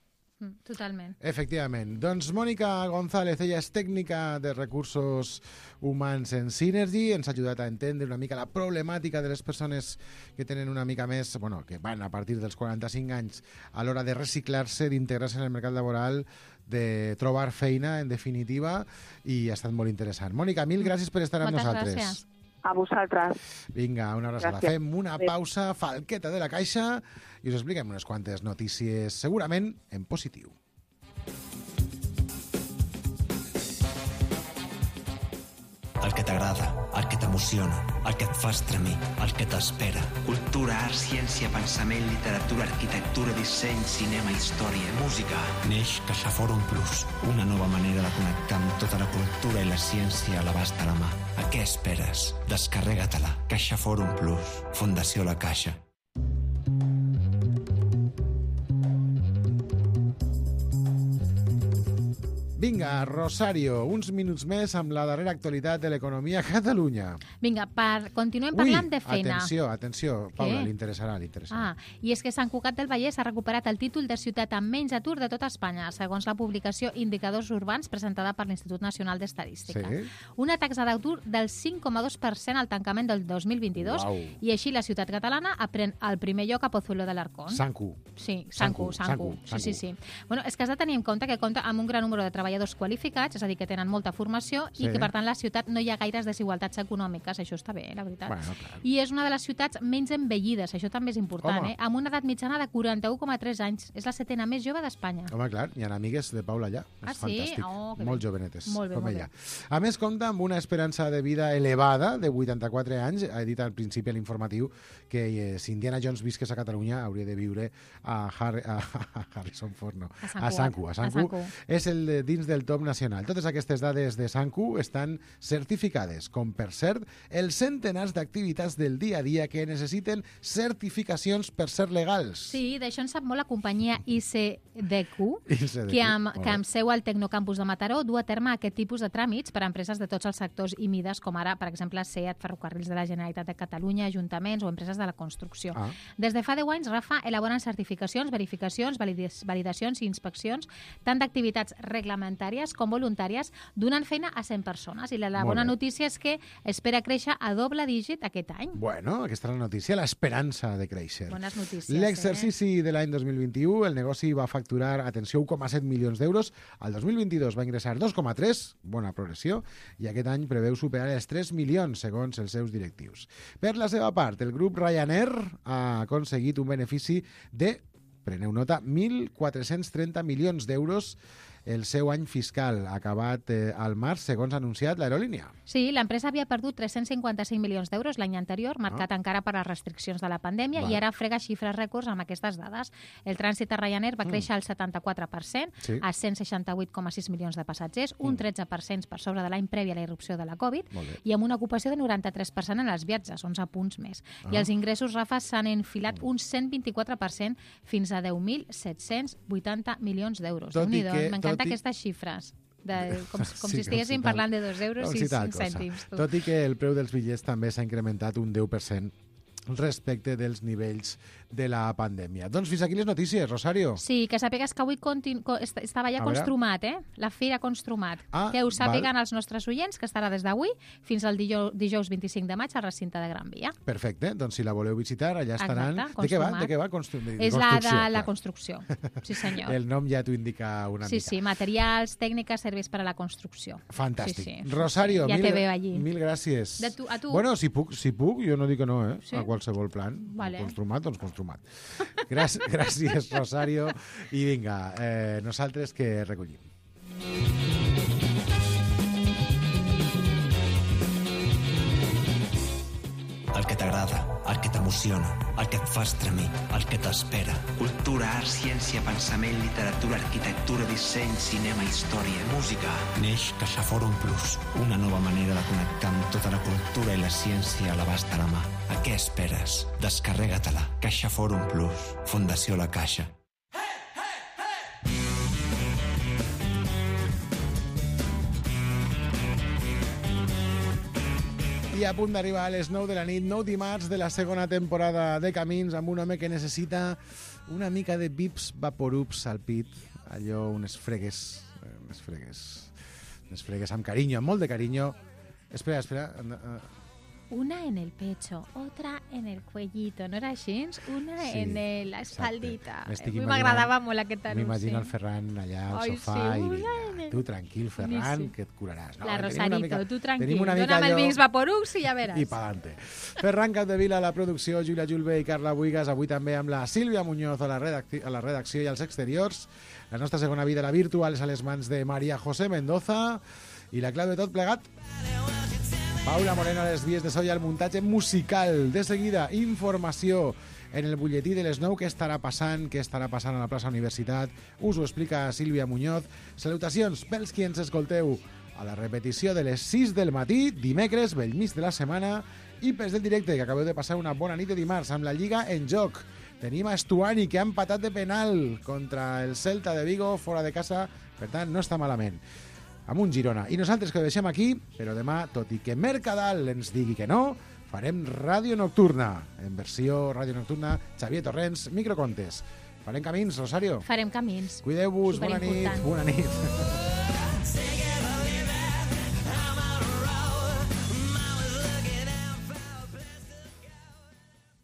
Totalment. Efectivament. Doncs Mònica González, ella és tècnica de recursos humans en Synergy, ens ha ajudat a entendre una mica la problemàtica de les persones que tenen una mica més, bueno, que van a partir dels quaranta-cinc anys a l'hora de reciclar-se, d'integrar-se en el mercat laboral, de trobar feina, en definitiva, i ha estat molt interessant. Mònica, mil gràcies per estar amb Moltes nosaltres. Gràcies. A vosaltres. Vinga, una abraçada. Gràcies. Fem una pausa, falqueta de la caixa, i us expliquem unes quantes notícies, segurament en positiu. El que t'agrada, el que t'emociona, el que et fa estremir, el que t'espera. Cultura, art, ciència, pensament, literatura, arquitectura, disseny, cinema, història, música. Neix CaixaForum Plus, una nova manera de connectar amb tota la cultura i la ciència a l'abast de la mà. A què esperes? Descarrega-te-la. CaixaForum Plus. Fundació La Caixa. Vinga, Rosario, uns minuts més amb la darrera actualitat de l'economia a Catalunya. Vinga, per... continuem parlant Ui, de feina. atenció, atenció, Paula, Què? li interessarà, li interessarà. Ah, i és que Sant Cugat del Vallès ha recuperat el títol de ciutat amb menys atur de tota Espanya, segons la publicació Indicadors Urbans presentada per l'Institut Nacional d'Estadística. Sí? Una taxa d'atur del cinc coma dos per cent al tancament del dos mil vint-i-dos, Uau. i així la ciutat catalana apren el primer lloc a Pozuelo de l'Arcón. Sancu. Sí, Sancu, Sancu. Sí, sí, sí. Bueno, és que has de tenir en compte que compta amb un gran número de treballadors qualificats, és a dir, que tenen molta formació Sí. i que, per tant, a la ciutat no hi ha gaires desigualtats econòmiques. Això està bé, la veritat. Bueno, clar. I és una de les ciutats menys envellides, això també és important, Home. eh? Amb una edat mitjana de quaranta-u coma tres anys. És la setena més jove d'Espanya. Home, clar, hi ha amigues de Paula allà. Ah, És sí? fantàstic. Oh, que molt bé. jovenetes, Molt bé, com molt ella. bé. A més, compta amb una esperança de vida elevada, de vuitanta-quatre anys. Ha dit al principi a l'informatiu que eh, si Indiana Jones visqués a Catalunya hauria de viure a, Har a, a Harrison Ford, no. A Sant a Sancu. Cugat. A Sancu. A Sancu. És el de, dins del top nacional. Totes aquestes dades de Sancu estan certificades, com per cert els centenars d'activitats del dia a dia que necessiten certificacions per ser legals. Sí, d'això en sap molt la companyia I C D Q, I C D Q, que amb, molt que bé. amb seu al Tecnocampus de Mataró du a terme aquest tipus de tràmits per a empreses de tots els sectors i mides, com ara, per exemple, SEAT, Ferrocarrils de la Generalitat de Catalunya, ajuntaments o empreses de la construcció. Ah. Des de fa deu anys, Rafa, elaboren certificacions, verificacions, valides- validacions i inspeccions, tant d'activitats reglamentàries com voluntàries, donant feina a cent persones. I la, la Molt bona bé. notícia és que espera créixer a doble dígit aquest any. Bueno, aquesta és la notícia, l'esperança de créixer. Bones notícies, L'exercici de l'any dos mil vint-i-u, el negoci va facturar, atenció, un coma set milions d'euros. El dos mil vint-i-dos va ingressar dos coma tres, bona progressió, i aquest any preveu superar els tres milions, segons els seus directius. Per la seva part, el grup Ryanair ha aconseguit un benefici de, preneu nota, mil quatre-cents trenta milions d'euros el seu any fiscal, acabat eh, al març, segons ha anunciat l'aerolínia. Sí, l'empresa havia perdut tres-cents cinquanta-cinc milions d'euros l'any anterior, marcat Ah. encara per les restriccions de la pandèmia, Val. i ara frega xifres rècords amb aquestes dades. El trànsit a Ryanair va Mm. créixer al setanta-quatre per cent, Sí. a cent seixanta-vuit coma sis milions de passatgers, un Mm. tretze per cent per sobre de l'any previ a la irrupció de la Covid, Molt bé. i amb una ocupació de noranta-tres per cent en els viatges, onze punts més. I Ah. els ingressos, Rafa, s'han enfilat un cent vint-i-quatre per cent fins a deu mil set-cents vuitanta milions d'euros. Tot i Déu-n'hi-do, que- m'encanten tot i- aquestes xifres. De, com, com Sí, si estiguéssim com si tal- parlant de dos euros com i si tal cinc cosa. cèntims. Tu. Tot i que el preu dels bitllets també s'ha incrementat un deu per cent respecte dels nivells de la pandèmia. Doncs fins aquí les notícies, Rosario. Sí, que sàpigues que avui continu... co- est- estava ja A veure. Construmat, eh? La Fira Construmat. Ah, que ho sàpiguen val. els nostres oients, que estarà des d'avui fins al dijous, dijous vint-i-cinc de maig al recinte de Gran Via. Perfecte, doncs si la voleu visitar, allà estaran... Exacte, de què va? Construmat. De què va? Constru... de És la de construcció, la clar. construcció. Sí, senyor. El nom ja t'ho indica una Sí, mica. sí, materials, tècniques, serveis per a la construcció. Fantàstic. Sí, sí, Rosario, ja mil, te veo allí. mil gràcies. De tu, a tu. Bueno, si puc, si puc, jo no dic que no, eh? Sí? A qualsevol plan. Vale. Construmat, doncs construmat. Gràcies, gràcies, Rosario. I vinga, eh, nosaltres que recollim. El que t'agrada, el que t'emociona, el que et fa estremir, el que t'espera. Cultura, art, ciència, pensament, literatura, arquitectura, disseny, cinema, història, música. Neix CaixaForum Plus, una nova manera de connectar amb tota la cultura i la ciència a l'abast de la mà. A què esperes? Descarrega-te-la. CaixaForum Plus, Fundació La Caixa. I a punt d'arribar a les nou de la nit, nou dimarts de la segona temporada de Camins, amb un home que necessita una mica de Vips Vaporups al pit, allò, unes fregues, unes fregues, unes fregues amb carinyo, amb molt de carinyo. Espera, espera... Una en el pecho, otra en el cuellito, ¿no era així? Una sí, en el, la espaldita. M'agradava molt aquest anunci. M'imagino el Ferran allà al Ai, sofà sí, i vinga, tu tranquil, Ferran, sí. que et curaràs. No, la Rosarito, mica, tu tranquil, dóna'm el Vicks Vaporux i ja veràs. I pa'lante. Ferran Capdevila a la producció, Júlia Julve i Carla Buigas, avui també amb la Sílvia Muñoz a la, redacció, a la redacció i als exteriors. La nostra segona vida, la virtual, és a les mans de Maria José Mendoza i la clau de tot plegat... Paula Moreno a les vies de so i al muntatge musical. De seguida, informació en el butlletí de les nou. Què estarà passant? Què estarà passant a la plaça Universitat? Us ho explica Sílvia Muñoz. Salutacions pels qui ens escolteu a la repetició de les sis del matí, dimecres, bell mig de la setmana, i pels del directe, que acabeu de passar una bona nit de dimarts amb la Lliga en joc. Tenim a Estuani, que ha empatat de penal contra el Celta de Vigo, fora de casa, per tant, no està malament. Amb un Girona. I nosaltres que ho deixem aquí, però demà, tot i que Mercadal ens digui que no, farem Ràdio Nocturna. En versió Ràdio Nocturna, Xavier Torrents, Microcontes. Farem camins, Rosario? Farem camins. Cuideu-vos, bona nit, bona nit.